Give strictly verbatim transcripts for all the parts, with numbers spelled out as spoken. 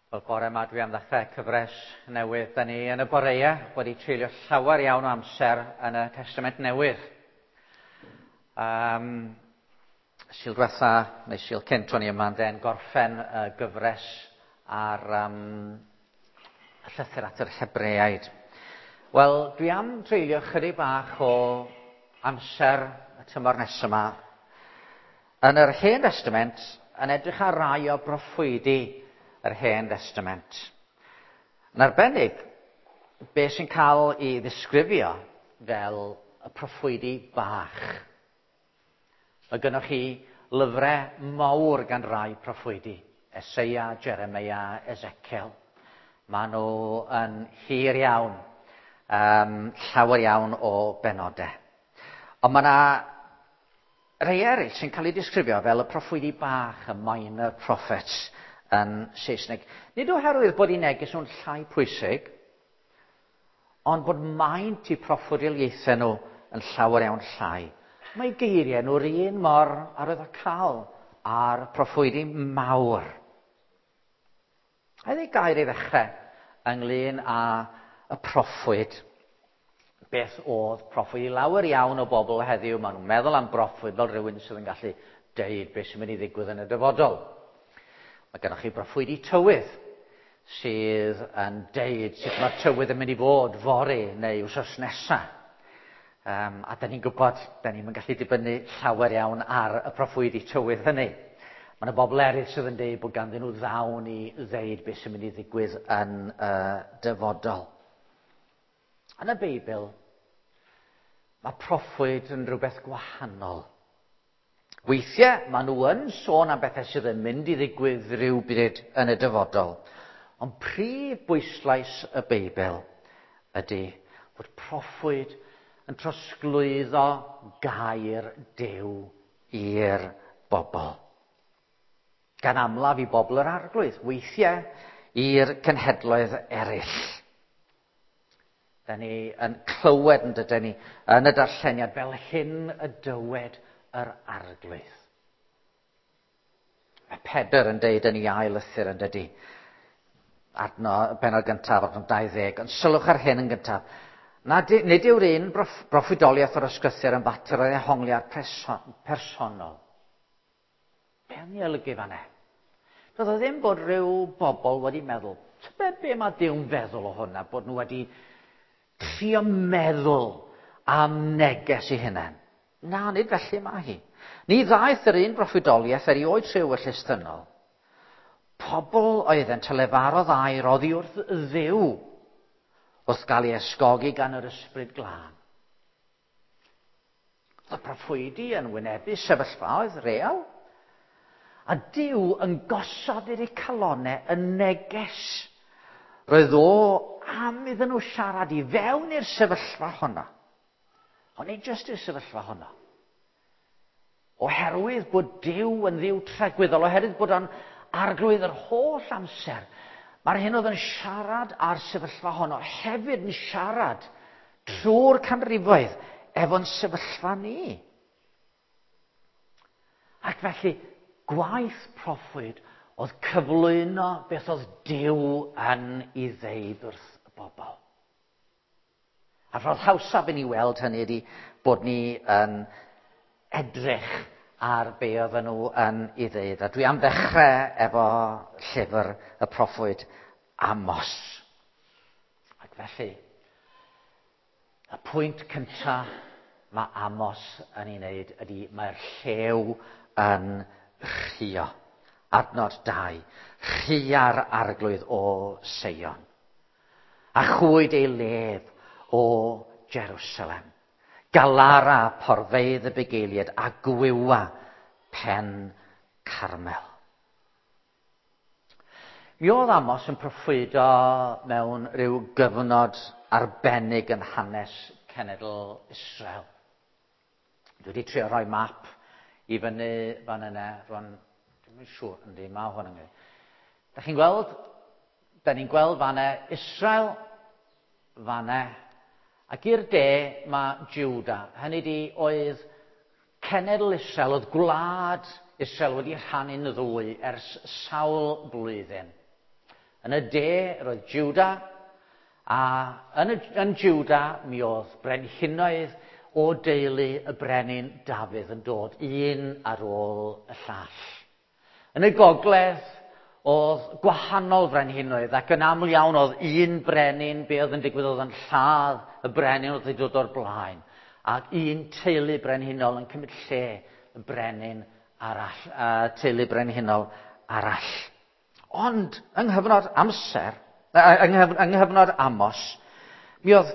Wel, bore yma dwi am ddechrau cyfres newydd. Da ni yn y boreau wedi treulio llawer iawn o amser yn y Testament Newydd. Um, Sul diwetha, neu Sul cynt o'n i yma, yn gorffen y gyfres ar um, y llythyr at yr Hebreaid. Wel, dwi am treulio chydig bach o amser y tymor nesaf yma yn yr Hen Testament yn edrych ar rai o broffwydi yr Hen Testament. Yn arbennig, be sy'n cael ei ddisgrifio fel y proffwydi bach. Mae gynnoch chi lyfrau mawr gan rai proffwydi. Eseia, Jeremia, Ezekiel. Maen nhw yn hir iawn, um, llawer iawn o benodau. Ond mae yna rhai eraill sy'n cael eu disgrifio fel y proffwydi bach, y minor prophets yn Saesneg. Nid oherwydd bod eu neges nhw'n llai pwysig, ond bod maint eu proffwydoliaethau nhw yn llawer iawn llai. Mae geiriau nhw'r un mor arwyddocaol â'r proffwydi mawr. A ddweud gair i ddechrau ynglyn â y proffwyd. Beth oedd proffwyd? I lawer iawn o bobl heddiw, maen nhw'n meddwl am broffwyd fel rhywun sydd yn gallu deud beth sy'n mynd i ddigwydd yn y dyfodol. Mae gennych chi broffwydi tywydd sydd yn deud sut mae'r tywydd yn mynd i fod fory neu wsos nesaf. Um, a da ni'n gwybod, da ni'n gallu dibynnu llawer iawn ar y proffwydi tywydd hynny. Mae yna bobl eraill sydd yn deud bod ganddyn nhw ddawn i ddeud beth sy'n mynd i ddigwydd yn y dyfodol. Yn y Beibl, mae proffwyd yn rhywbeth gwahanol. Weithiau, maen nhw yn sôn am bethau sydd yn mynd i ddigwydd rhywbryd yn y dyfodol. Ond prif bwyslais y Beibl ydy bod proffwyd yn trosglwyddo gair Duw i'r bobl. Gan amlaf i bobl yr Arglwydd, weithiau i'r cenhedloedd eraill. Da ni yn clywed yn dydyn ni yn y darlleniad fel hyn y dywed yr Arglwydd. Mae Pedr yn deud yn ei ail lythyr yn dydy, adno, benod gyntaf, adnod dau ddeg, ond sylwch ar hyn yn gyntaf. Na, nid yw'r un broffwydoliaeth o'r ysgrythur yn fater o ddehongliad personol. Be o'n i olygu fan'na? Doedd o ddim bod rhyw bobl wedi meddwl, tybed be mae Duw'n feddwl o hwnna, bod nhw wedi trio meddwl am neges i hunain. Na, nid felly mae hi. Ni ddaeth yr un broffwydoliaeth erioed trwy ewyllys ddynol. Pobl oeddent a lefarodd air oddi wrth Dduw wrth gael ei ysgogi gan yr Ysbryd Glân. Oedd y proffwydi yn wynebu sefyllfaoedd real, a Duw yn gosod i'r calonau y neges. Roedd o am iddyn nhw siarad i fewn i'r sefyllfa honno. Ond nid jyst i'r sefyllfa honno. Oherwydd bod Duw yn Dduw tragwyddol, oherwydd bod o'n arglwydd yr holl amser, mae'r hyn oedd yn siarad â'r sefyllfa honno hefyd yn siarad trwy'r canrifoedd efo'n sefyllfa ni. Ac felly, gwaith proffwyd oedd cyflwyno beth oedd Duw yn ei ddeud wrth y bobl. A ffordd hawsaf i ni weld hynny ydy bod ni yn edrych ar be oedden nhw yn ei ddeud. A dwi am ddechrau efo llyfr y proffwyd Amos. Ac felly, y pwynt cyntaf mae Amos yn ei wneud ydy mae'r llew yn rhuo. Adnod dau, rhua'r Arglwydd o Seion, a chwyd ei lef o Jerusalem. Galara porfeydd y bugeiliaid a gwywa pen Carmel. Mi oedd Amos yn proffwydo mewn rhyw gyfnod arbennig yn hanes cenedl Israel. Dwi wedi trio rhoi map i fyny fan yna, rwan, dwi'm yn siŵr, yndi, mae hwn yn gwneud. Da chi'n gweld, da ni'n gweld fan yna Israel, fan yna, ac i'r de mae Juda. Hynny di oedd cenedl Israel, oedd gwlad Israel wedi rhannu'n ddwy ers sawl blwyddyn. Yn y de roedd Juda, a yn, y, yn Juda mi oedd brenhinoedd o deulu y brenin Dafydd yn dod un ar ôl y llall. Yn y gogledd oedd gwahanol frenhinoedd, ac yn aml iawn oedd un brenin, be oedd yn digwydd oedd yn lladd y brenin oedd wedi dod o'r blaen, ac un teulu brenhinol yn cymryd lle y brenin arall, uh, teulu brenhinol arall. Ond yng nghyfnod amser, yng nghyfnod Amos, mi oedd,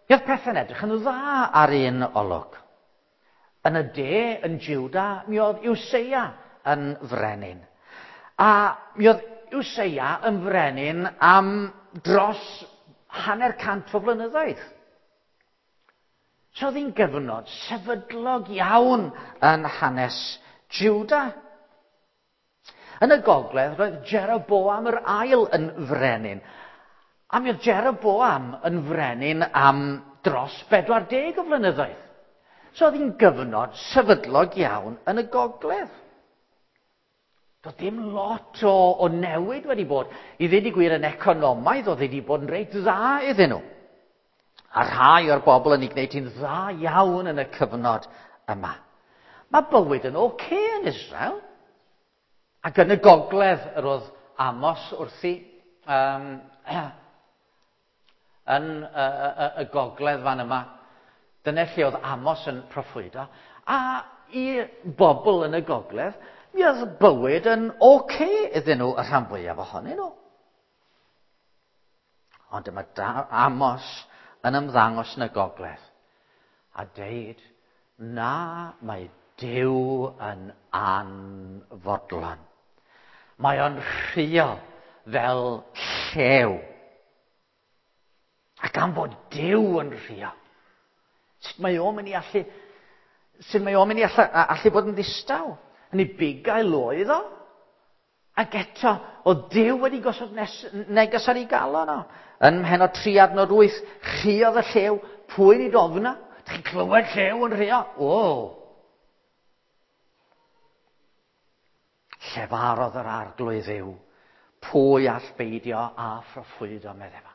mi oedd pethau'n edrych yn dda ar un olwg. Yn y de, yn Juda, mi oedd Useia yn frenin. A mi oedd Useia yn frenin am dros hanner cant o flynyddoedd. So oedd hi'n gyfnod sefydlog iawn yn hanes Juda. Yn y gogledd roedd Jeroboam yr ail yn frenin. A mi oedd Jeroboam yn frenin am dros bedwar deg o flynyddoedd. So oedd hi'n gyfnod sefydlog iawn yn y gogledd. Doedd dim lot o, o newid wedi bod. I ddweud y gwir yn economaidd, oedd wedi bod yn reit dda iddyn nhw. A rhai o'r bobl yn ei gwneud hi'n dda iawn yn y cyfnod yma. Mae bywyd yn oce okay yn Israel. Ac yn y gogledd yr oedd Amos wrthi, um, yn y, y, y gogledd fan yma. Dyna lle oedd Amos yn proffwydo. A i bobl yn y gogledd, mi oedd bywyd yn oce okay iddyn nhw, y rhan fwyaf ohonyn nhw. Ond dyma Amos yn ymddangos yn y gogledd a deud, na, mae Duw yn anfodlon. Mae o'n rhuo fel llew. Ac am fod Duw yn rhuo, sut mae o'n mynd i allu, sut mae o'n mynd i allu, allu bod yn ddistaw? Yn ei bugail oedd o. Ac eto, oedd Duw wedi gosod nes, neges ar ei galon o. Yn mhenod tri adnod wyth, rhuodd y llew, pwy nid ofna? Dych chi'n clywed llew yn rhuo? O! Llefarodd yr arglwydd Dduw, pwy all beidio a phroffwydo, meddai fo.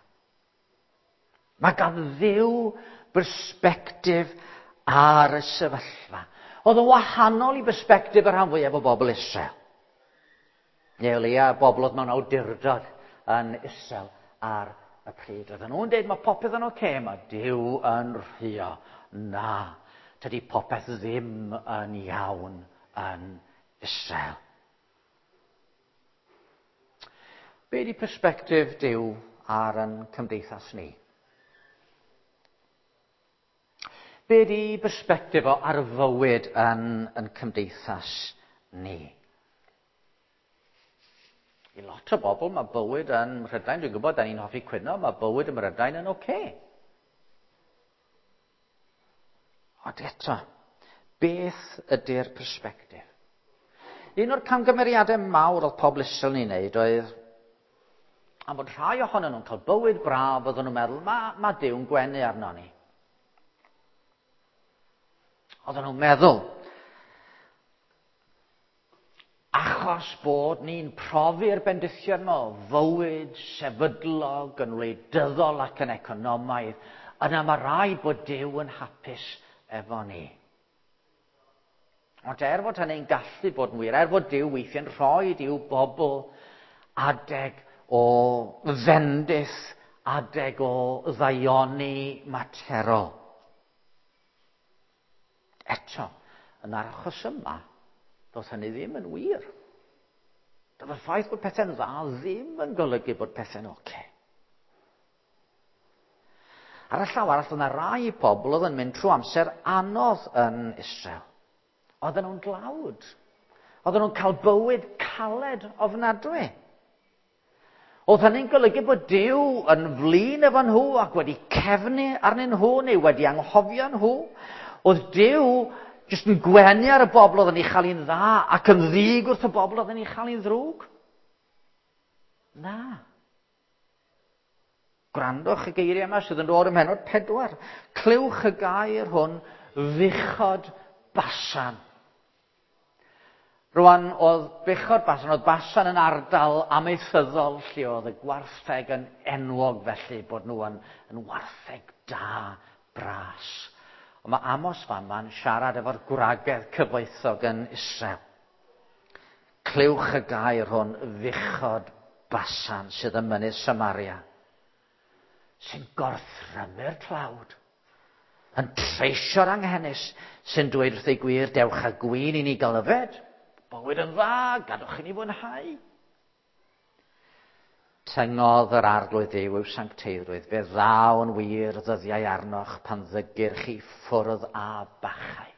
Mae gan Dduw bersbectif ar y sefyllfa. Oedd yn wahanol i bersbectif y rhan fwyaf o bobl Israel. Neu o leia bobl oedd mewn awdurdod yn Israel ar y pryd. Oedden nhw'n dweud mae popeth yn oce, okay, mae Duw yn rhuo. Na, tydi popeth ddim yn iawn yn Israel. Be di persbectif Duw ar yn cymdeithas ni? Be di persbectif o ar fywyd yn, yn cymdeithas ni? I lot o bobl mae bywyd yn Mhrydain, dwi'n gwybod, da ni'n hoffi cwyno, mae bywyd ym Mhrydain yn oce. Okay. Ond eto, beth ydy'r persbectif? Un o'r camgymeriadau mawr oedd pobl Israel ni'n neud oedd am fod rhai ohonyn nhw'n cael bywyd braf, oedden nhw'n meddwl, mae ma Duw'n gwenu arno ni. Oedden nhw'n meddwl, achos bod ni'n profi'r bendithion yma o fywyd sefydlog yn wleidyddol ac yn economaidd, yna mae rhaid bod Duw yn hapus efo ni. Ond er fod hynny'n gallu bod yn wir, er fod Duw weithiau'n rhoi i'w bobl adeg o fendith, adeg o ddaioni materol. Eto, yn yr achos yma, doedd hynny ddim yn wir. Doedd y ffaith bod pethau'n dda ddim yn golygu bod pethau'n oce. Okay. Ar y llaw arall, oedd yna rai pobl oedd yn mynd trwy amser anodd yn Israel. Oedden nhw'n dlawd. Oedden nhw'n cael bywyd caled ofnadwy. Oedd hynny'n golygu bod Duw yn flin efo nhw ac wedi cefnu arnyn nhw neu wedi anghofio nhw. Oedd Duw jyst yn gwenu ar y bobl oedd yn ei chael hi'n dda ac yn ddig wrth y bobl oedd yn ei chael hi'n ddrwg. Na. Gwrandwch y geiriau yma sydd yn dod ym mhennod pedwar. Clywch y gair hwn, fuchod Basan. Rwan, oedd buchod Basan, oedd Basan yn ardal amaethyddol lle oedd y gwartheg yn enwog felly bod nhw yn, yn wartheg da bras. Ond mae Amos fan ma'n siarad efo'r gwragedd cyfoethog yn Israel. Clywch y gair hwn, fuchod Basan sydd ym mynydd Samaria, sy'n gorthrymu'r tlawd, yn treisio'r anghenus, sy'n dweud wrth ei gwir, dewch â gwin i ni gael yfed, bywyd yn dda, gadwch i ni fwynhau. Tyngodd yr Arglwydd Dduw i'w sancteiddrwydd, fe ddaw yn wir ddyddiau arnoch pan ddygir chi ffwrdd â bachau.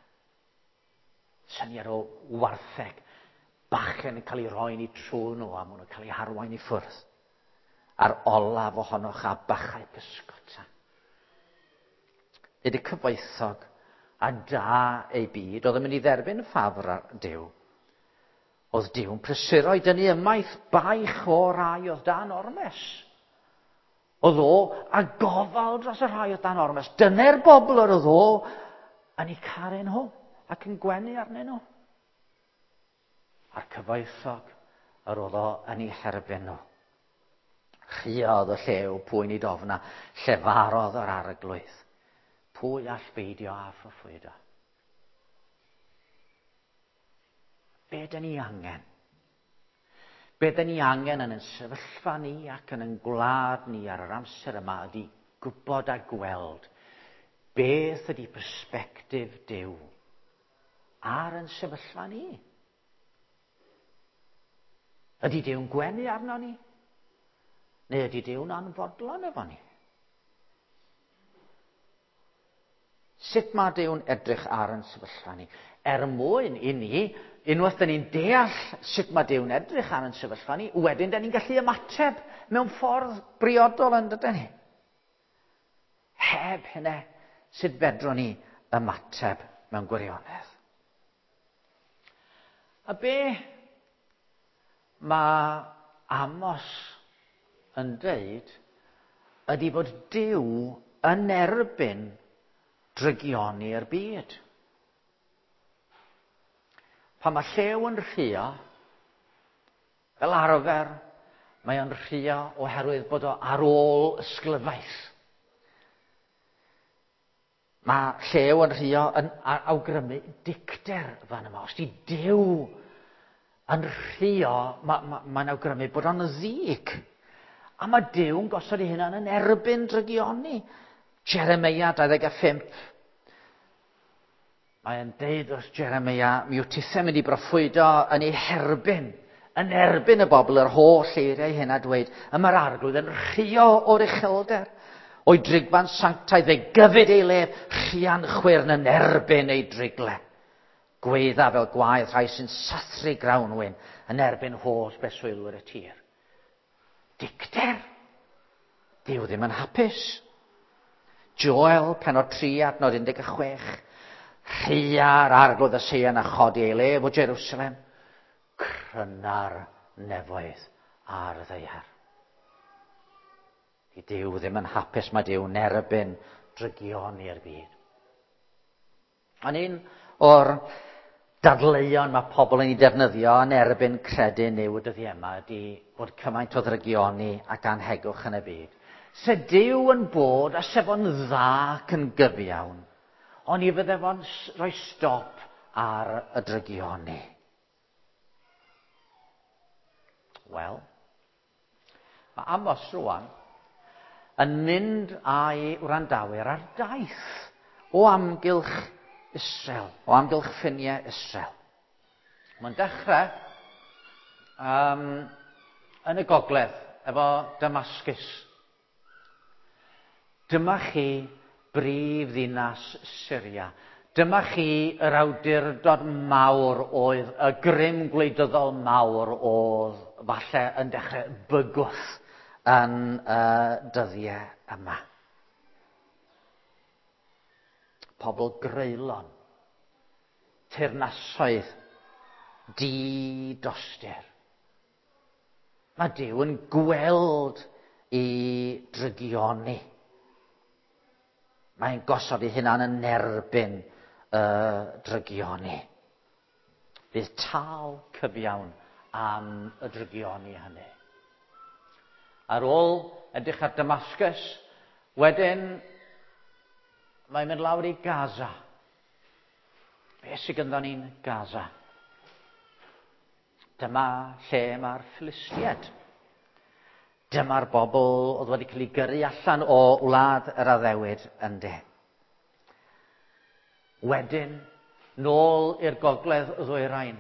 Syniad o wartheg, bachau yn cael ei roi'n eu trwy nhw a maen nhw'n cael eu harwain i ffwrdd. A'r olaf ohonoch â bachau pysgota. Nid y cyfoethog a da ei byd oedd yn mynd i dderbyn ffafr ar Duw. Oedd Duw'n prysuro i dynnu ymaith baich o rai oedd dan ormes. Oedd o a gofal dros y rhai oedd dan ormes. Dyna'r bobl yr oedd o yn eu caru nhw ac yn gwenu arnyn nhw. A'r cyfoethog yr oedd o yn eu herbyn nhw. Rhuodd y llew pwy nid ofna, llefarodd yr Arglwydd. Pwy all beidio â phroffwydo? Be dyn ni angen? Be dyn ni angen yn ein sefyllfa ni ac yn ein gwlad ni ar yr amser yma ydy gwybod a gweld beth ydy persbectif Duw ar ein sefyllfa ni. Ydy Duw'n gwenu arno ni? Neu ydy Duw'n anfodlon efo ni? Sut mae Duw'n edrych ar ein sefyllfa ni? Er mwyn i ni, unwaith dyn ni'n deall sut mae Duw'n edrych ar ein sefyllfa ni, wedyn dyn ni'n gallu ymateb mewn ffordd briodol yn dydyn ni. Heb hynny, sut fedrwn ni ymateb mewn gwirionedd? A be mae Amos yn dweud ydy bod Duw yn erbyn drygioni'r byd. Pan mae llew yn rhuo, fel arfer, mae o'n rhuo oherwydd bod o ar ôl ysglyfaeth. Mae llew yn rhuo yn awgrymu dicter fan yma. Os di Duw yn rhuo, mae'n ma, ma awgrymu bod o'n ddig. A mae Duw'n gosod ei hunan yn erbyn drygioni. Jeremia dau ddeg a phump. Mae'n deud wrth Jeremia, mi wyt tithau'n mynd i broffwydo yn ei herbyn, yn erbyn y bobl yr holl eiriau hyn a dweud, y mae'r Arglwydd yn rhuo o'r uchelder, o'i drigfan sanctaidd, fe gyfyd ei lef, rhian chwyrn yn erbyn ei drigle. Gweidda fel gwaedd rhai sy'n sathru grawnwin yn erbyn holl beswylwyr y tir. Dicter. Duw ddim yn hapus. Joel, pennod tri, adnod un deg chwech. Rhua'r Arglwydd y Seion a chodi ei lef o Jerusalem. Cryna'r nefoedd ar y ddaear. Di Duw ddim yn hapus, mae Duw'n erbyn drygioni'r byd. Ond un o'r dadleuon mae pobl yn ei defnyddio yn erbyn credu Nuw y dyddiau yma ydy bod cymaint o ddrygioni ac anhegwch yn y byd. Se Duw yn bod a se fo'n dda ac yn gyfiawn, ond i fydde fo'n rhoi stop ar y drygioni. Wel, mae Amos rwan yn mynd â'i wrandawyr ar daith o amgylch Israel, o amgylch ffiniau Israel. Mae'n dechrau um, yn y gogledd efo Damascus. Dyma chi brif ddinas Syria. Dyma chi yr awdurdod mawr oedd, y grym gwleidyddol mawr oedd falle yn dechrau bygwth yn y dyddiau yma. Pobl greulon, teyrnasoedd, di-dostur. Mae Duw yn gweld i drygioni. Mae'n gosod ei hunan yn erbyn y drygioni. Bydd tâl cyfiawn am y drygioni hynny. Ar ôl edrych ar Damascus, wedyn mae'n mynd lawr i Gaza. Be sydd gynddon ni'n Gaza? Dyma lle mae'r Philistiaid. Dyma'r bobl oedd wedi cael eu gyrru allan o wlad yr addewid ynde. Wedyn, nôl i'r gogledd ddwyrain,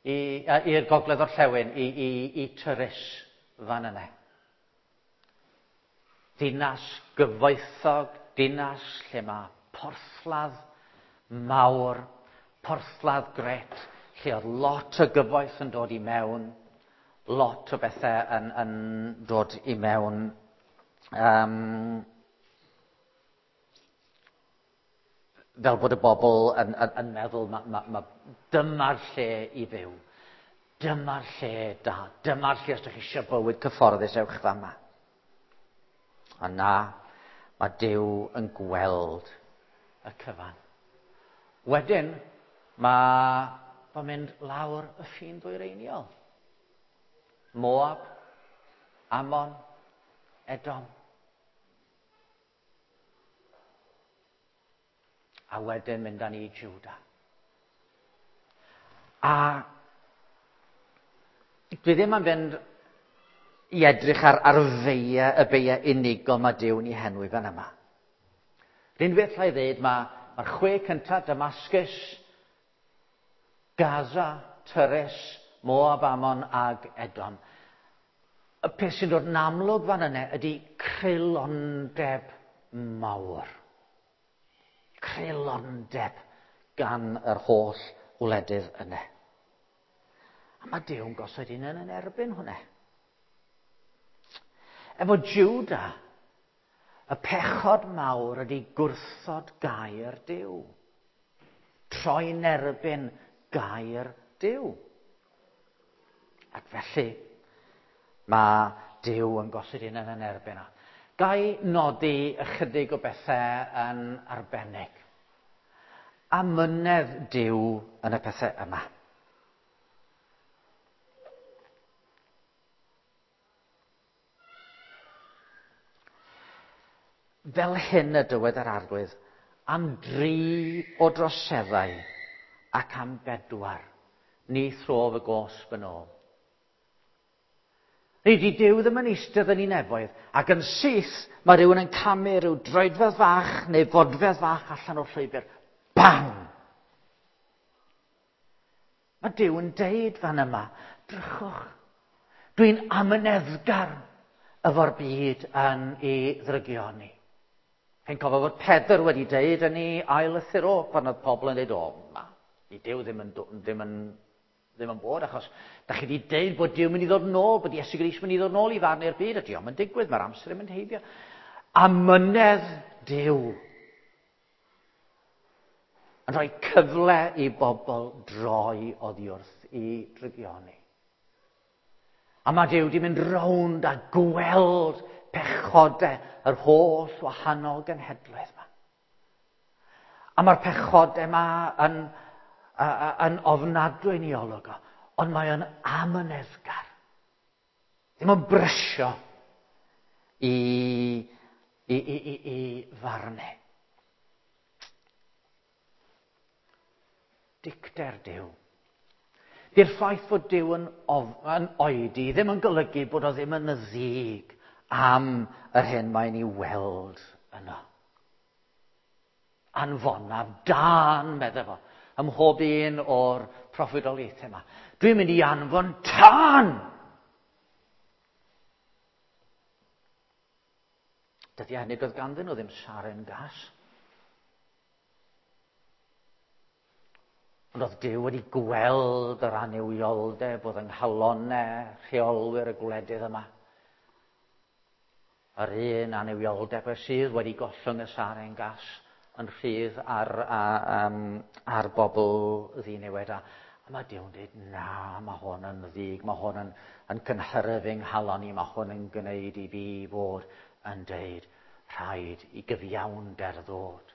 i'r gogledd orllewin, i, i, i Tyrus fan yna. Dinas gyfoethog, dinas lle mae porthladd mawr, porthladd gret, lle oedd lot o gyfoeth yn dod i mewn, lot o bethau yn, yn dod i mewn. Um, fel bod y bobl yn, yn, yn meddwl, ma, ma, ma, dyma'r lle i fyw. Dyma'r lle da. Dyma'r lle os ydych chi eisiau bywyd cyfforddus, ewch fama. A na, mae Duw yn gweld y cyfan. Wedyn, mae fo'n mynd lawr y ffin ddwyreiniol. Moab, Ammon, Edom. A wedyn mynd â ni i Juda. A dwi ddim yn fynd i edrych ar, ar feiau, y beiau unigol mae Duw yn ei henwi fan yma. R'un beth alla i ddeud, mae'r ma chwe cyntaf, Damascus, Gaza, Tyrus, Moab, Ammon ag Edom. Y peth sy'n dod yn amlwg fan yna ydy creulondeb mawr. Creulondeb gan yr holl wledydd yna. A mae Duw'n gosod un yn erbyn hwnna. Efo Juda, y pechod mawr ydy gwrthod gair Duw. Troi'n erbyn gair Duw. Ac felly, mae Duw yn gosod un yn erbyn o. Ga i nodi ychydig o bethau yn arbennig. Amynedd Duw yn y pethau yma. Fel hyn y dywed yr Arglwydd, am dri o droseddau ac am bedwar, ni throf y gosb yn ôl. Nid i Duw ddim yn eistedd yn ei nefoedd, ac yn syth mae rhywun yn camu rhyw droedfedd fach neu fodfedd fach allan o'r llwybr. Bang! Mae Duw yn deud fan yma, drychwch, dwi'n amyneddgar efo'r byd yn ei ddrygioni. Chi'n cofio fod Pedr wedi deud yn ei ail lythyr o, pan oedd pobl yn deud, o, ma, i Duw ddim yn, ddim yn, ddim yn bod, achos da chi wedi deud bod Duw mynd i ddod nôl, bod Iesu Grist mynd i ddod nôl i farnu'r byd, a dio'm yn digwydd, mae'r amser yn mynd heibio. Amynedd Duw yn rhoi cyfle i bobl droi oddi wrth i drygioni. A mae Duw wedi mynd rownd a gweld pechodau yr holl wahanol genhedloedd yma. A mae'r pechodau yma yn, yn ofnadwy yn ei olwg o, ond mae o'n amyneddgar. Ddim yn brysio i, i, i, i, i farnu. Dicter Duw. Di'r ffaith fod Duw yn, of, yn oedi ddim yn golygu bod o ddim yn ddig am yr hyn mae'n ei weld yno. Anfonaf dân, medde fo, ym mhob un o'r proffwydoliaethau yma. Dwi'n mynd i anfon tân! Dydy hynny doedd ganddyn nhw ddim saren gas. Ond oedd Duw wedi gweld yr annuwioldeb oedd yng nghalonnau rheolwyr y gwledydd yma. Yr un annuwioldeb sydd wedi gollwng y saren gas yn rhydd ar, a, um, ar bobl ddiniwed. A, a mae Duw'n dweud, na, mae hwn yn ddig, mae hwn yn, yn cynhyrfu nghalon i, mae hwn yn gwneud i fi fod yn deud, rhaid i gyfiawnder ddod.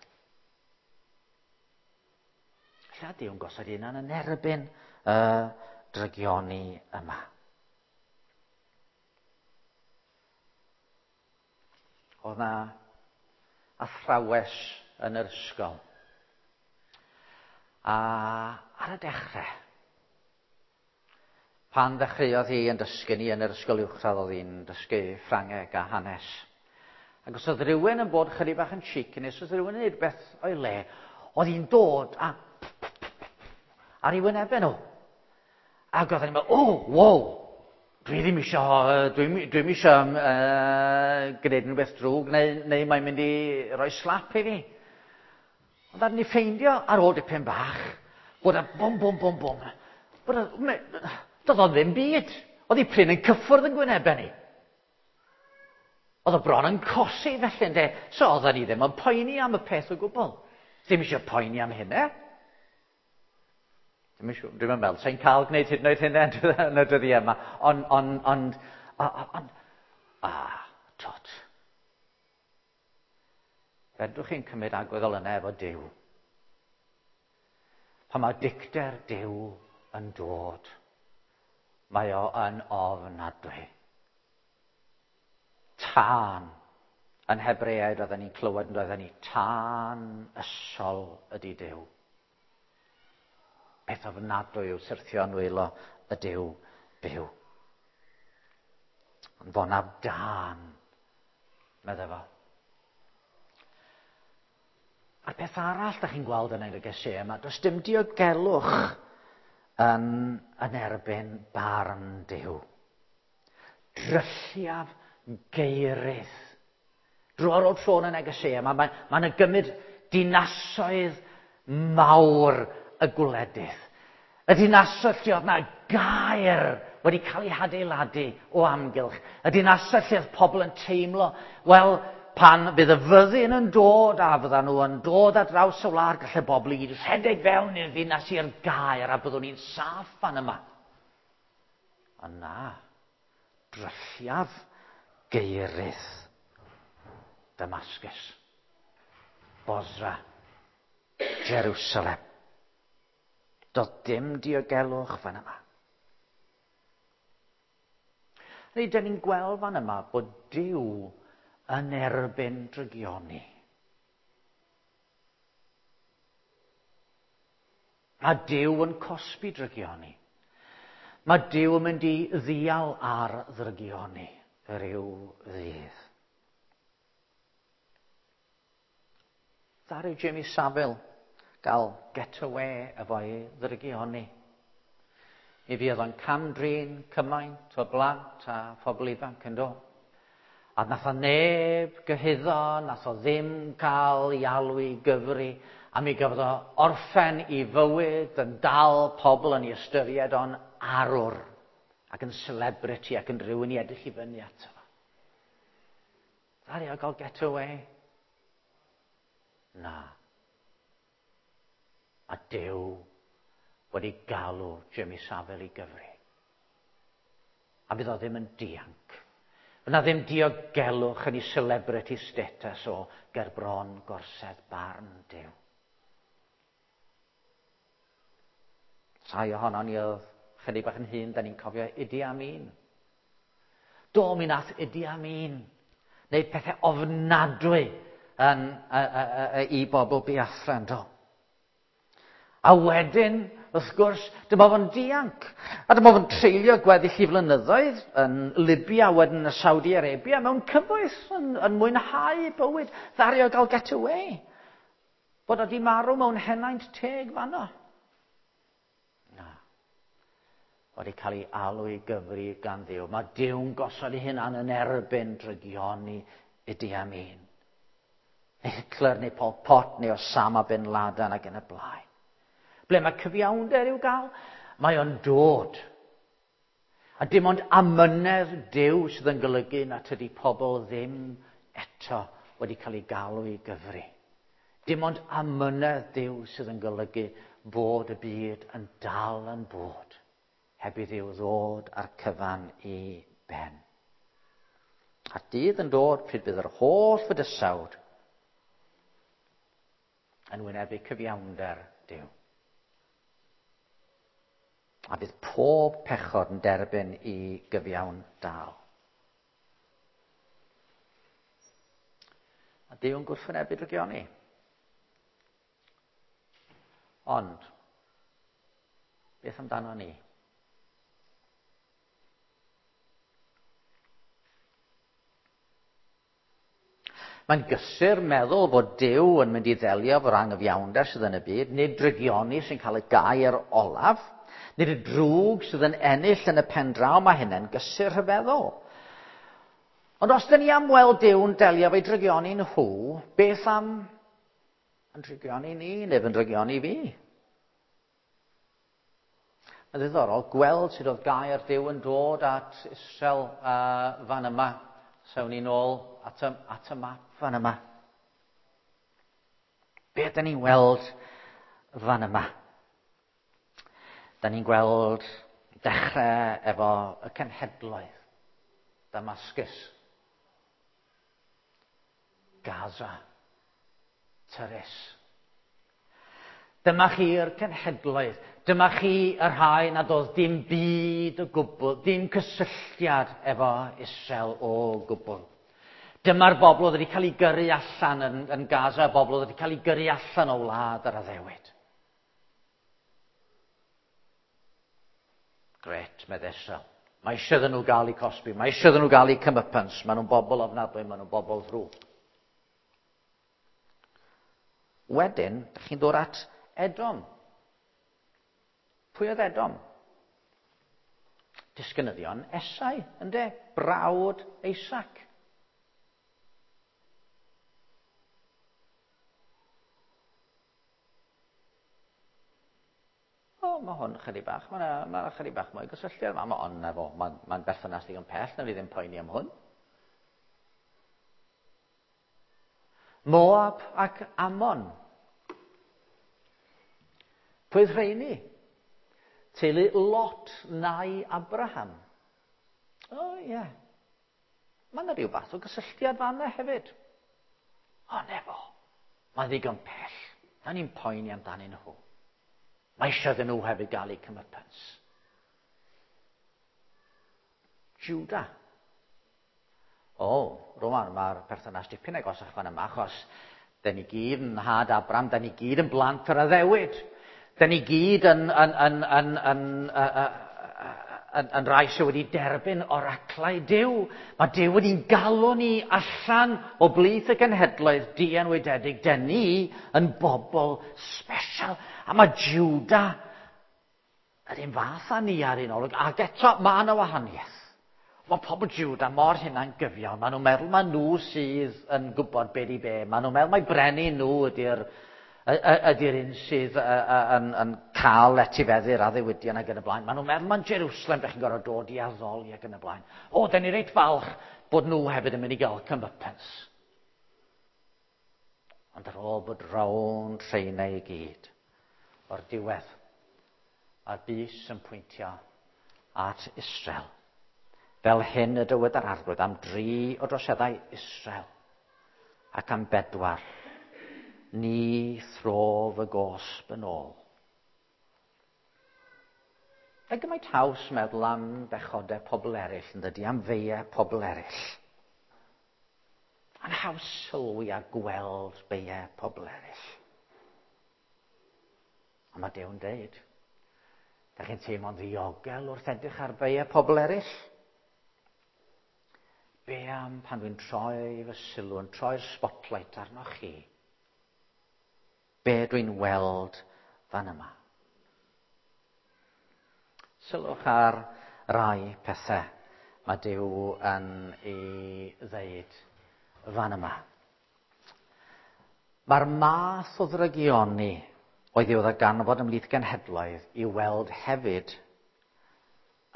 Lle Duw'n gosod hunan yn erbyn y drygioni yma. Oedd na athrawes yn yr ysgol. A ar y dechrau, pan ddechreuodd hi yn dysgu ni yn yr ysgol uwchradd, oedd hi'n dysgu Ffrangeg a hanes. Ac os oedd rhywun yn bod chydig bach yn cheeky, neu os oedd rhywun yn gwneud beth o'i le, oedd hi'n dod a ar ei wynebau nhw. Ac oedd hi'n meddwl, oh, wow, dwi ddim eisiau, dwi, dwi'm eisiau uh, gwneud rhywbeth drwg, neu, neu mae'n mynd i roi slap i fi. Ond ddaru ni ffeindio ar ôl dipyn bach, bod y bwm, bwm, bwm, bwm, bod y, doedd o ddim byd. Oedd hi prin yn cyffwrdd yn gwynebau ni. Oedd o bron yn cosi felly, ynde. So oedden ni ddim yn poeni am y peth o gwbl. Ddim eisiau poeni am hynny. Ddim eisiau, dwi'n meddwl, sa'n cael gwneud hyd yn oed hynny yn y dyddiau yma. Ond, ond, ond, ond, a, tot. Fedrwch chi'n cymryd agwedd fel yna efo Duw. Pan mae dicter Duw yn dod, mae o yn ofnadwy. Tân. Yn Hebreaid oedden ni'n clywed yn oedden ni, tân ysol ydy Duw. Peth ofnadwy yw syrthio yn nwylo y Duw byw. Ond fo na dân, medde fo. A'r peth arall da chi'n gweld yn y negeseuon yma, does dim diogelwch yn, yn erbyn barn Duw. Drylliaf geirydd. Dro ar ôl tro yn y negeseuon yma, mae'n mae yna gymryd dinasoedd mawr y gwledydd. Y dinasoedd lle oedd na gaer wedi cael ei hadeiladu o amgylch. Y dinasoedd lle oedd pobl yn teimlo, wel, pan fydd y fyddin yn dod a fyddan nhw yn dod ar draws y wlad, gallai bobl i gyd rhedeg fewn i'r ddinas i'r gaer a byddwn ni'n saff fan yma. Ond na, drylliaf geirydd Damascus, Bosra, Jerusalem. Doedd dim diogelwch fan yma. Neu, dyn ni'n gweld fan yma bod Duw yn erbyn drygioni. Mae Duw yn cosbi drygioni. Mae Duw yn mynd i ddial ar ddrygioni rhyw ddydd. Ddaru Jimmy Savile gael get away efo'i ddrygioni. Mi fuodd o'n cam-drin cymaint o blant a phobl ifanc yn do. A nath o neb gyhuddo, nath o ddim cael ei alw i gyfri, a mi gafodd o orffen i fywyd yn dal pobl yn ei ystyried o'n arwr ac yn celebrity ac yn rhywun i edrych i fyny ato fo. Ddaru o gael get away? Na. A Duw wedi galw Jimmy Savile i gyfri. A fydd o ddim yn dianc. Fydd na ddim diogelwch yn ei celebrity status o gerbron gorsedd barn Duw. Rhai ohonon ni oedd chydig bach yn hŷn, da ni'n cofio Idi Amin. Do, mi nath Idi Amin wneud pethau ofnadwy yn, a, a, a, i bobl Biafra, do. A wedyn, wrth gwrs, dyma fo'n dianc. A dyma fo'n treulio gweddill i flynyddoedd yn Libya, wedyn yn Saudi Arabia, mewn cyfoeth, yn, yn mwynhau bywyd, ddaru o gael get away. Bod o di marw mewn henaint teg fanno. Na. Wedi cael ei alw i gyfri gan Dduw. Mae Duw'n gosod ei hunan yn erbyn drygioni Idi Amin. Hitler neu Pol Pot neu Osama Bin Laden ac yn y blaen. Ble mae cyfiawnder i'w gael? Mae o'n dod. A dim ond amynedd Duw sydd yn golygu na tydi pobl ddim eto wedi cael ei galw i gyfri. Dim ond amynedd Duw sydd yn golygu bod y byd yn dal yn bod, heb i Dduw ddod â'r cyfan i ben. A dydd yn dod pryd bydd yr holl fydysawd yn wynebu cyfiawnder Duw. A bydd pob pechod yn derbyn i gyfiawn dal. A Duw yn gwrthwynebu drygioni. Ond, beth amdano ni? Mae'n gysur meddwl bod Duw yn mynd i ddelio efo'r anghyfiawnder sydd yn y byd, nid drygioni sy'n cael y gair olaf, nid y drwg sydd yn ennill yn y pen draw, mae hynny'n gysur rhyfeddol. Ond os dyn ni am weld Duw'n delio efo'i drygioni nhw, beth am yn drygioni ni, neu yn drygioni fi? Mae'n ddiddorol gweld sut oedd gair Duw yn dod at Israel uh, fan yma. Sewn ni nôl at y, at y map fan yma. Be ydyn ni'n weld fan yma? Da ni'n gweld dechrau efo y cenhedloedd. Damascus, Gaza, Tyrus. Dyma chi'r cenhedloedd. Dyma chi y rhai nad oedd dim byd o gwbl, dim cysylltiad efo Israel o gwbl. Dyma'r bobl oedd wedi cael ei gyrru allan yn, yn Gaza, y bobl oedd wedi cael ei gyrru allan o wlad yr addewid. Gret, medd Israel. Mae eisiau iddyn nhw gael eu cosbi, mae eisiau iddyn nhw gael eu comeuppance. Maen nhw'n bobl ofnadwy, maen nhw'n bobl ddrwg. Wedyn, dych chi'n dod at Edom. Pwy oedd Edom? Disgynyddion Esau, ynde? Brawd Isaac. O, mae hwn chydig bach, mae'n ma chydig bach mwy gysylltiad. Mae ma, on, efo, mae'n ma berthynas ddigon pell, na fi ddim poeni am hwn. Moab ac Ammon. Pwy oedd rheini? Teulu Lot nai Abraham. O, oh, ie. Yeah. Mae yna rhyw fath o gysylltiad fanna hefyd. O, nefo. Mae'n ddigon pell. Da ni'n poeni amdanyn nhw. Mae eisiau iddyn nhw hefyd gael eu comeuppance. Judah. O, rwan, mae'r perthynas dipyn agosach fan yma, achos da ni gyd yn nhad Abraham, da ni gyd yn blant yr addewid. Da ni gyd yn, yn, yn, yn, yn, yn, yn, yn rai sydd wedi derbyn oraclau Duw. Mae Duw wedi'n galw ni allan o blith y genhedloedd dienwydedig. Da ni yn bobl special. A mae Judah yr un fath â ni ar un olwg. Ac eto, mae yna wahaniaeth. Mae pobl Judah mor hynna'n gyfiawn. Maen nhw'n meddwl mae nhw sydd yn gwybod be di be. Maen nhw'n meddwl mai brenin nhw ydy'r ydy'r un sydd yn, yn cael etifeddu'r addewidion ac yn y blaen. Maen nhw'n meddwl mae'n Jerusalem dych chi'n gorfod dod i addoli ac yn y blaen. O, da ni reit falch bod nhw hefyd yn mynd i gael comeuppance. Ond ar ôl bod rownd rheina i gyd, o'r diwedd, a'r bys yn pwyntio at Israel. Fel hyn y dywed yr Arglwydd am dri o droseddau Israel ac am bedwar. Ni throf y gosb yn ôl. A gymaint haws meddwl am bechodau pobl eraill, yn dydy, am feiau pobl eraill. A'n haws sylwi a gweld beiau pobl eraill. A mae Duw'n deud, da chi'n teimlo'n ddiogel wrth edrych ar beiau pobl eraill? Be am pan dwi'n troi fy sylw, yn troi'r spotlight arnoch chi? Be dwi'n weld fan yma? Sylwch ar rai pethau mae Duw yn ei ddeud fan yma. Mae'r math o ddrygioni oedd i'w ddarganfod ymhlith genhedloedd i'w weld hefyd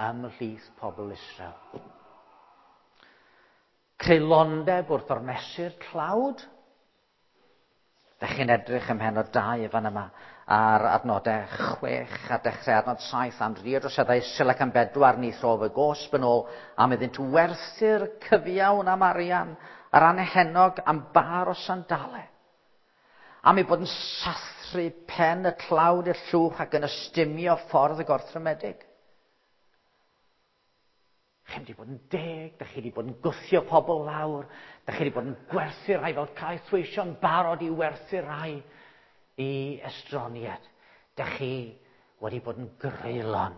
ymhlith pobl Israel. Creulondeb wrth ormesu'r tlawd. Dych chi'n edrych ym mhennod dau fan yma ar adnodau chwech a dechrau adnod saith am dri o droseddau Israel ac am bedwar ni throf y gosb yn ôl am iddynt werthu'r cyfiawn am arian a'r anhenog am bar o sandalau. Am eu bod yn sathru sathru pen y tlawd i'r llwch ac yn ystumio ffordd y gorthrymedig. Chi wedi bod yn deg, da chi wedi bod yn gwthio pobl lawr, da chi wedi bod yn gwerthu rhai fel caethweision barod i werthu rhai i estroniad. Da chi wedi bod yn greulon.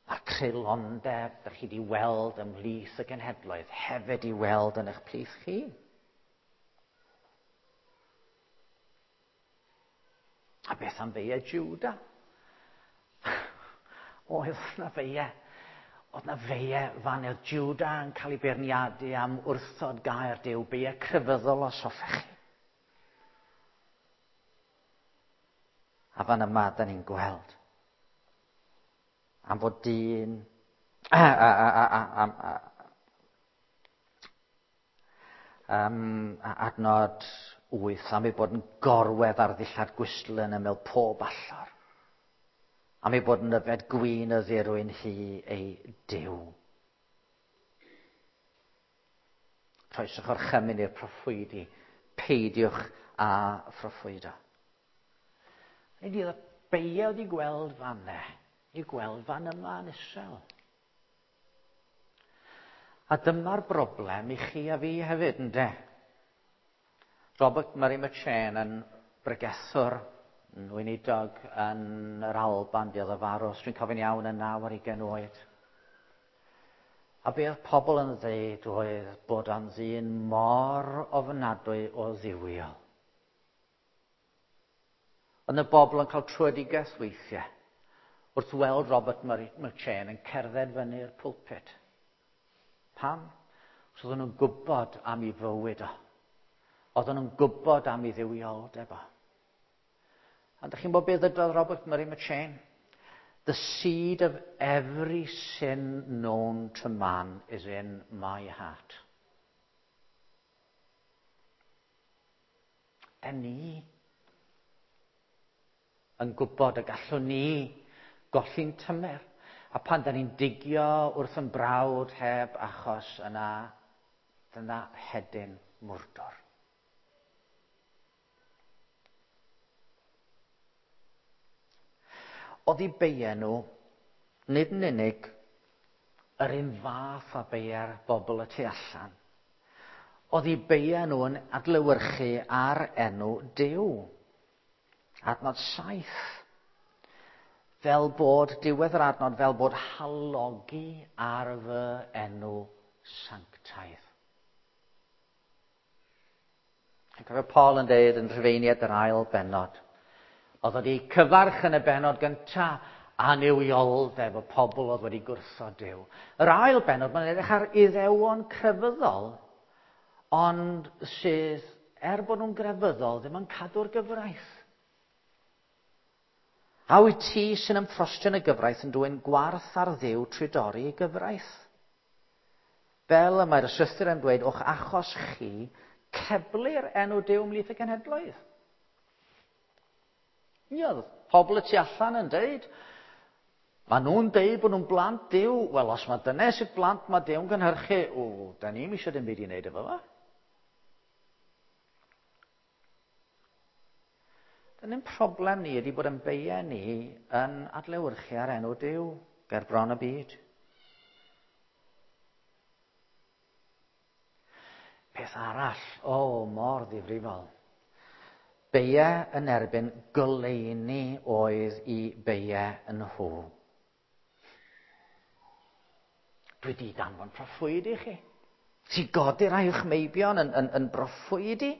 Mae'r creulondeb da chi wedi weld ymhlith y genhedloedd hefyd i weld yn eich plith chi. A beth am feia Juda? Oedd na feia. Oedd na feia fan oedd Juda yn cael ei beirniadu am wrthod gair Duw, beia crefyddol os hoffech chi. A fan yma, da ni'n gweld am fod dyn a, a, a, a, a, a, um, adnod wyth, am ei bod yn gorwedd ar ddillad gwystl yn ymyl pob allor, am ei bod yn yfed gwin y ddirwyn hi ei Duw. Troeswch orchymyn i'r proffwydi, peidiwch â phroffwydo. Nid oedd y beia wedi gweld fan ne, i gweld fan yma yn Israel. A dyma'r broblem i chi a fi hefyd, ynde? Robert Murray McCheyne yn bregethwr, yn weinidog yn yr Alban, fuodd o farw, os dwi'n cofio'n iawn, yn naw ar ugain oed. A be oedd pobl yn ddeud oedd bod o'n ddyn mor ofnadwy o dduwiol. Ond y bobl yn cael tröedigaeth weithiau wrth weld Robert Murray McCheyne yn cerdded fyny'r pulpit. Pam? Os oedden nhw'n gwybod am ei fywyd o. Oedden nhw'n gwybod am ei dduwioldeb o. A dych chi'n gwybod beth ddywedodd Robert Murray McCheyne? The seed of every sin known to man is in my heart. Da ni yn gwybod y gallwn ni golli'n tymer. A pan da ni'n digio wrth yn brawd heb achos yna, dyna hedyn mwrdwr. Oedd eu beia nhw, nid yn unig yr un fath â beia'r bobl y tu allan. Oedd eu beia nhw yn adlewyrchu ar enw Duw. Adnod saith. Fel bod, diwedd yr adnod, fel bod halogi ar fy enw sanctaidd. Yn cofio Paul yn dweud yn Rhufeiniaid yr ail bennod. Oedd wedi cyfarch yn y bennod gyntaf annuwioldeb y pobl oedd wedi gwrthod Duw. Yr ail bennod, mae'n edrych ar Iddewon crefyddol, ond sydd, er bod nhw'n grefyddol, ddim yn cadw'r gyfraith. A wyt ti sy'n ymffrostio yn y gyfraith yn dwyn gwarth ar Dduw trwy dorri ei gyfraith? Fel y mae'r ysgrythur yn dweud, o'ch achos chi, ceblir enw Duw ymhlith y genhedloedd. Ie, oedd pobl y tu allan yn deud, mae nhw'n deud bod nhw'n blant Duw. Wel, os mae dyna sydd blant mae Duw'n gynhyrchu, o, da ni'm eisiau dim byd i wneud efo fo. Dyna'n problem ni ydy bod yn beia ni yn adlewyrchu ar enw Duw ger bron y byd. Peth arall, o, mor ddifrifol. Beia yn erbyn goleuni oedd i beia yn nhw. Dwi di danfon proffwyd i chi. Ti godi rai o'ch meibion yn, yn, yn broffwydi.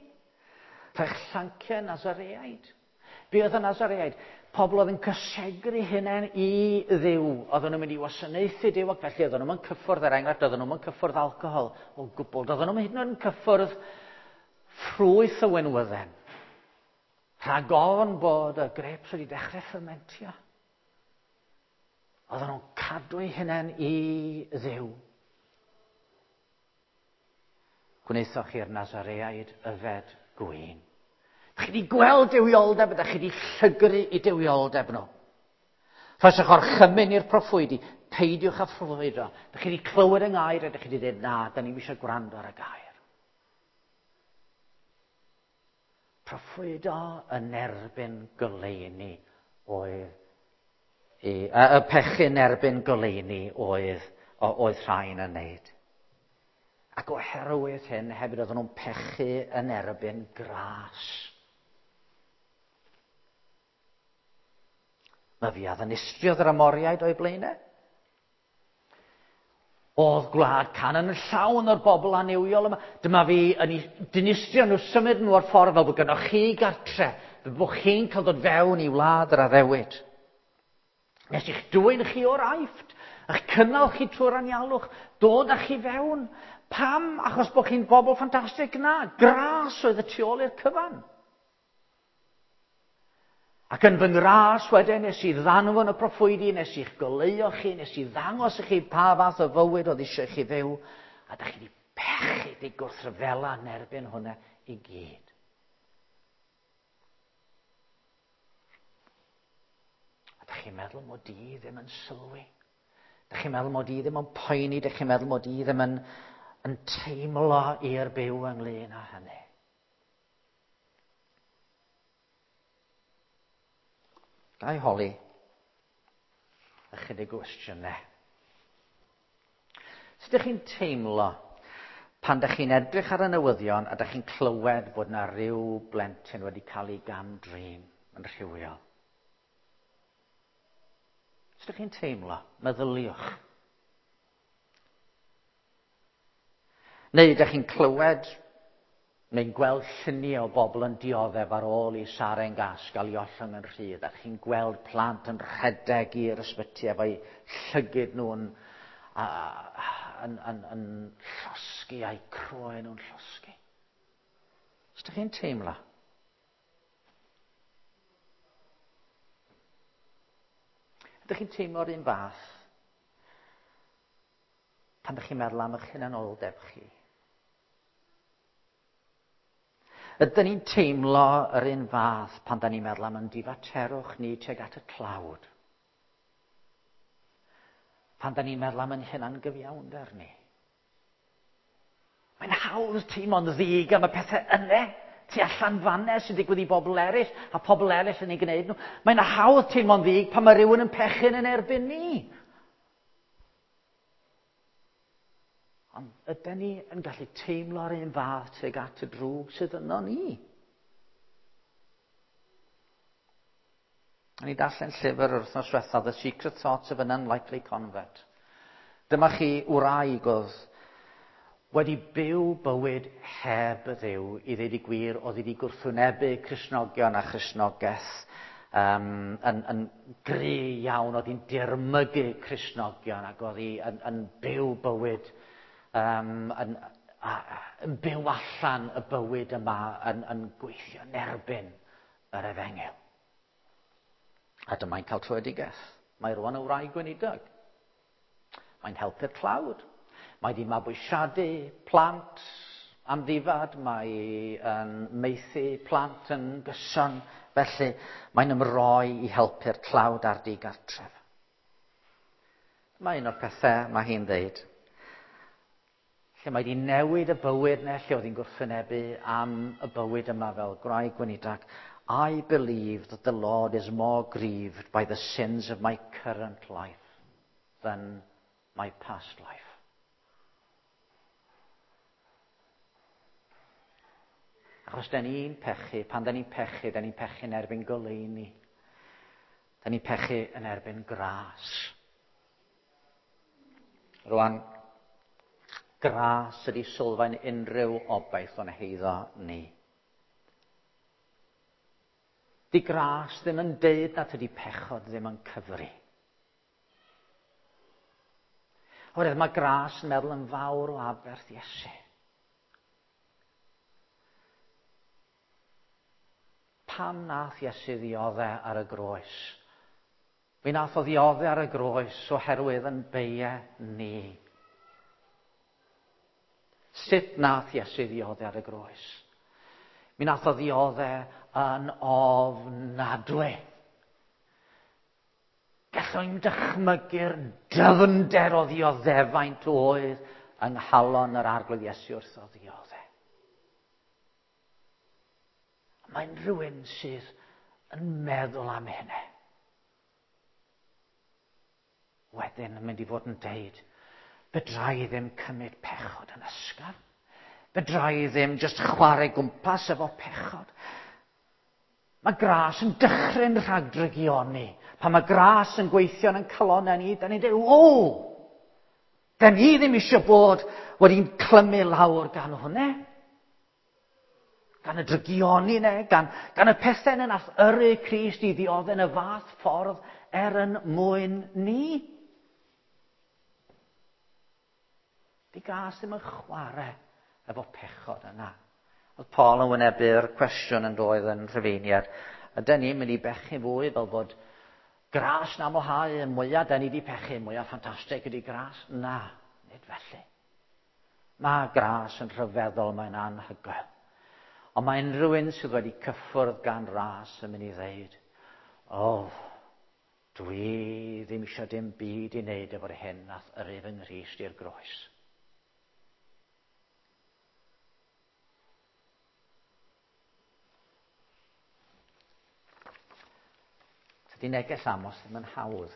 Rhai'ch llanciau Nazareaid. Be oedd y Nazareaid? Pobl oedd yn cysegru hunain i Dduw. Oedden nhw'n mynd i wasanaethu Duw ac felly oedden nhw'n cyffwrdd, er enghraifft, oedden nhw'n cyffwrdd alcohol o gwbl. Oedden nhw'n hyd yn oed yn cyffwrdd ffrwyth y wenwydden. Rhag ofn bod y grapes wedi dechrau ffermentio. Oedden nhw'n cadw eu hunain i Dduw. Gwnaethoch chi'r Nazareaid yfed gwin. Chi wedi gweld duwioldeb, ydych chi wedi llygru i duwioldeb nhw. Rhoeswch orchymyn i'r proffwydi, peidiwch â phroffwydo. Ydych chi wedi clywed yng ngair, ydych chi wedi dweud, na, da ni'm eisiau gwrando ar y gair. Proffwydo yn erbyn goleuni oedd, i, y, y pechu yn erbyn goleuni oedd, oedd rhain yn wneud. Ac oherwydd hyn, hefyd oedden nhw'n pechu yn erbyn gras. Mae fi a ddinistriodd yr Amoriaid o'i blaenau. Oedd gwlad Canaan yn llawn o'r bobl annuwiol yma. Dyma fi yn dinistrio nhw, symud nhw o'r ffordd fel bod gynnwch chi gartre, fel bod chi'n cael dod fewn i wlad yr addewid. Nes i'ch dwyn chi o'r Aifft, a'ch cynnal chi trwy'r anialwch, dod â chi fewn. Pam? Achos bod chi'n bobl ffantastig? Na, gras oedd y tu ôl i'r cyfan. Ac yn fy ngras wedyn, nes i ddanfon y proffwydi, nes i'ch goleuo chi, nes i ddangos i chi pa fath o fywyd oedd eisiau chi fyw, a da chi wedi pechu, di gwrthryfela yn erbyn hwnna i gyd. A da chi'n meddwl mod i ddim yn sylwi? Da chi'n meddwl mod i ddim yn poeni? Da chi'n meddwl mod i ddim yn, yn teimlo i'r byw ynglyn â hynny? Ga i holi ychydig gwestiynau. Sut ydych chi'n teimlo pan ydych chi'n edrych ar y newyddion a ydych chi'n clywed bod yna rhyw blentyn wedi cael ei gam-drin yn rhywiol? Sut ydych chi'n teimlo? Meddyliwch. Neu ydych chi'n clywed neu'n gweld lluniau o bobl yn dioddef ar ôl i saren gas gael ei ollwng yn rhydd, a chi'n gweld plant yn rhedeg i'r ysbyty efo'u llygid nhw'n a, yn, yn, yn llosgi a'u croen nhw'n llosgi. Sut ydych chi'n teimlo? Ydych chi'n teimlo'r un fath pan ydych chi'n meddwl am eich hunanoldeb chi? Ydyn ni'n teimlo yr un fath pan da ni'n meddwl am yn difaterwch ni tuag at y tlawd? Pan da ni'n meddwl am yn hunangyfiawnder ni? Mae'n hawdd teimlo'n ddig am y pethau yna, tu allan fanne sy'n digwydd i bobl eraill, a pobl eraill yn ei gwneud nhw. Mae'n hawdd teimlo'n ddig pan mae rhywun yn pechu'n yn erbyn ni. Ond ydyn ni yn gallu teimlo'r un fath tuag at y drwg sydd yno ni? O'n i darllen llyfr yr wythnos diwethaf, The Secret Thoughts of an Unlikely Convert. Dyma chi wraig oedd wedi byw bywyd heb y Dduw, i ddeud y gwir, oedd wedi gwrthwynebu Cristnogion a Christnogaeth um, yn, yn gry iawn, oedd hi'n dirmygu Cristnogion ac oedd hi yn, yn byw bywyd Um, yn, a, yn byw allan y bywyd yma, yn, yn gweithio yn erbyn yr efengyl. A dyma'n cael tröedigaeth. Mae rwan yn wraig gweinidog. Mae'n helpu'r tlawd. Mae wedi mabwysiadu plant amddifad. Mae yn maethu plant yn gyson. Felly mae'n ymroi i helpu'r tlawd a'r digartref. Mae un o'r pethau mae hi'n dweud, lle mae wedi newid y bywyd neu lle oedd hi'n gwrthwynebu am y bywyd yma fel gwraig gweinidog. I believe that the Lord is more grieved by the sins of my current life than my past life. Achos da ni'n pechu, pan da ni'n pechu, da ni'n pechu yn erbyn goleuni. Da ni'n pechu yn erbyn gras. Rwan, gras ydy sylfaen unrhyw obaith o'n heiddo ni. Di gras ddim yn deud nad ydy pechod ddim yn cyfri. Oherwydd mae gras yn meddwl yn fawr o aberth Iesu. Pam nath Iesu ddiodde ar y groes? Mi nath o ddiodde ar y groes oherwydd yn beie ni. Sut nath Iesu ddiodde ar y groes? Mi nath o ddiodde yn ofnadwy. Gallwn ni'n dychmygu'r dyfnder o ddioddefaint oedd yng nghalon yr Arglwydd Iesu wrth o ddiodde. Mae'n rhywun sydd yn meddwl am hynny. Wedyn yn mynd i fod yn deud, fedra i ddim cymryd pechod yn ysgafn. Fedra i ddim jyst chwarae gwmpas efo pechod. Mae gras yn dychryn rhag drygioni. Pan mae gras yn gweithio yn calonnau ni, da ni'n dweud, o! Da ni ddim eisiau bod wedi'n clymu lawr gan hwnna. Gan y drygioni ne, gan, gan y pethau yna nath yrru Crist i ddioddef yn y fath ffordd er yn mwyn ni. Di gras ddim yn chwarae efo pechod yna. Oedd Paul yn wynebu'r cwestiwn yn doedd yn Rhufeiniad. Ydyn ni'n mynd i bechu fwy fel bod gras yn amlhau y mwyaf da ni wedi pechu, mwyaf ffantastig ydy gras? Na, nid felly. Mae gras yn rhyfeddol, mae'n anhygoel. Ond mae unrhyw un sydd wedi cyffwrdd gan ras yn mynd i ddeud, o, oh, dwi ddim eisiau dim byd i wneud efo'r hyn nath yrru fy Nghrist i'r groes. Tydi neges Amos ddim yn hawdd.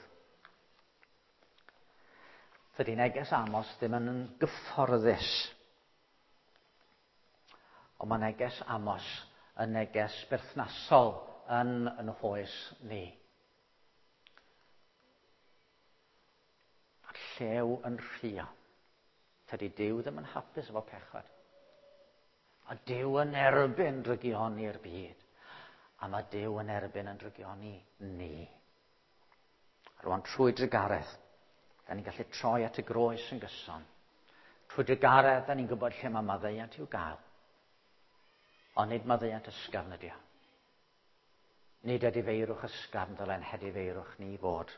Tydi neges Amos ddim yn gyfforddus. Ond mae neges Amos yn neges berthnasol yn yn hoes ni. Mae'r llew yn rhuo. Tydi Duw ddim yn hapus efo pechod. Mae Duw yn erbyn drygioni'r byd. A mae Duw yn erbyn yn drygioni ni. A rwan trwy drugaredd, da ni'n gallu troi at y groes yn gyson. Trwy drugaredd, da ni'n gwybod lle mae maddeuant i'w gael. Ond nid maddeuant ysgafn ydi o. Nid edifeirwch ysgafn ddylen hedifeirwch ni fod,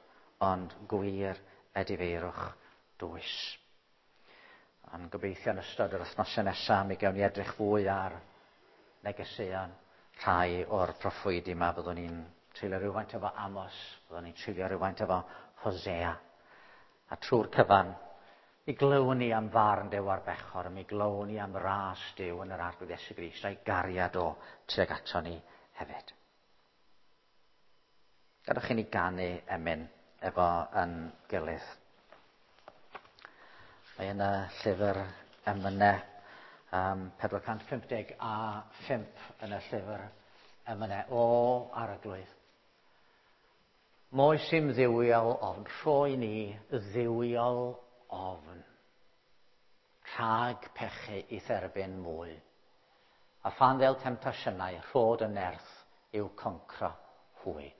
ond gwir edifeirwch dwys. Ond gobeithio yn ystod yr wythnosau nesaf mi gewn ni edrych fwy ar negeseuon rhai o'r proffwydi yma. Byddwn ni'n treulio rhywfaint efo Amos, byddwn ni'n treulio rhywfaint efo Hosea. A trwy'r cyfan, mi glywn ni am farn Duw ar bechor, mi glywn ni am ras Duw yn yr Arglwydd Iesu Grist, a'i gariad o tuag ato ni hefyd. Gadewch i ni ganu emyn efo yn gilydd. Mae yna llyfr emynau um, pedwar cant pump deg a phump yn y llyfr emynau. O Arglwydd, moes i'm dduwiol ofn, rhoi ni dduwiol ofn, rhag pechu i dderbyn mwy. A phan ddel temtasiynau, rhod y nerth i'w concro hwy.